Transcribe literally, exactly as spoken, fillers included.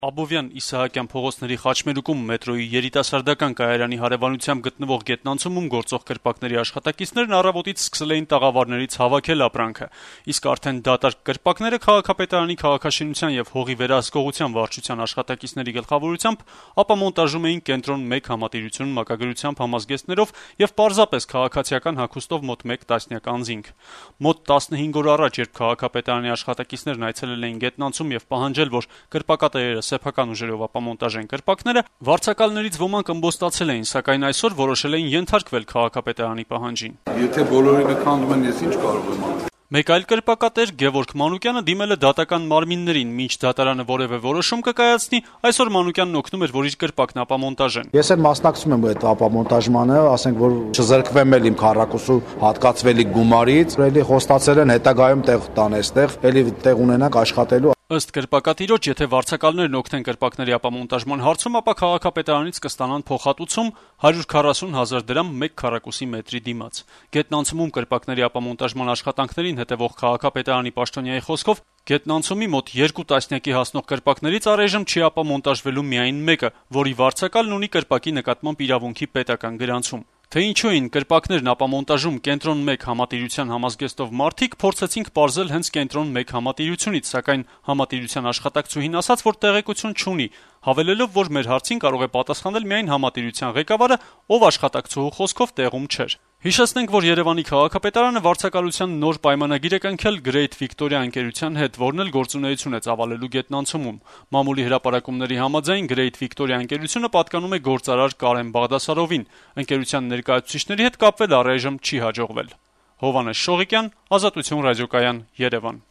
Աբովյան Իսահակյան փողոցների խաչմերուկում մետրոյի երիտասարդական կայարանի հարևանությամբ գտնվող գետնանցումում գործող կրպակների աշխատակիցներն առավոտից սկսել էին տաղավարներից հավաքել ապրանքը, իսկ արդեն դատարկ կրպակները քաղաքապետարանի քաղաքաշինության եւ հողի վերահսկողության վարչության աշխատակիցների գլխավորությամբ ապամոնտաժում էին կենտրոն մեկ համատիրություն մակագրությամբ համազգեստներով եւ պարզապես քաղաքացիական հագուստով մոտ մեկ տասնյակ անձինք։ Մոտ տասնհինգ օր առաջ, երբ քաղաքապետարանի աշխատակիցներն այցելել էին գետնանցում եւ պահանջել, որ կրպակատերերը սեփական ուժերով ապամոնտաժեն կրպակները, վարձակալներից ոմանք ըմբոստացել էին, սակայն այսօր որոշել էին ենթարկվել քաղաքապետարանի պահանջին։ Եթե բոլորին քանդում են, ես ինչ կարող եմ անել։ Մեկ այլ կրպակատեր Գևորգ Մանուկյանը դիմել է դատական մարմիններին, մինչ դատարանը որևէ որոշում կկայացնի, այսօր Մանուկյանն օգնում էր, որ իր կրպակն ապամոնտաժեն։ Ես էլ մասնակցում եմ այդ ապամոնտաժմանը, ասենք որ չզրկվեմ էլ իմ քառակուսու հատկացվելի գումարից, էլի խոստացել են հետագայում տեղ տան այստեղ, էլի տեղ ունենանք աշխատելու։ Ըստ կրպակատիրոջ, եթե վարձակալներն օգնեն կրպակների ապամոնտաժման հարցում, ապա քաղաքապետարանից կստանան փոխհատուցում հարյուր քառասուն հազար դրամ մեկ քառակուսի մետրի դիմաց։ Գետնանցումում կրպակների ապամոնտաժման աշխատանքներին հետևող քաղաքապետարանի պաշտոնյայի խոսքով, գետնանցումի մոտ երկու տասնյակի հասնող կրպակներից առայժմ չի ապամոնտաժվելու միայն մեկը, որի վարձակալն ունի կրպակի նկատմամբ իրավունքի պետական գրանցում։ Թե ինչու էին կրպակներն ապամոնտաժում կենտրոն մեկ համատիրության համազգեստով մարդիկ, փորձեցինք պարզել հենց կենտրոն մեկ համատիրությունից, սակայն համատիրության աշխատակցուհին ասաց, որ տեղեկություն չունի, հավելելով, որ մեր հարցին կարող է պատասխանել միայն համատիրության ղեկավարը, ով աշխատակցուհու խոսքով տեղում չէր։ Հիշեցնենք, որ Երևանի քաղաքապետարանը վարձակալության նոր պայմանագիր է կնքել Great Victoria ընկերության հետ, որն էլ գործունեություն է ծավալելու գետնանցումում։ Մամուլի հրապարակումների համաձայն Great Victoria ընկերությունը պատկանում է գործարար Կարեն Բաղդասարովին։ Ընկերության ներկայացուցիչների հետ կապվել առայժմ չի հաջողվել։ Հովհաննես Շողիկյան, Ազատություն ռադիոկայան, Երևան։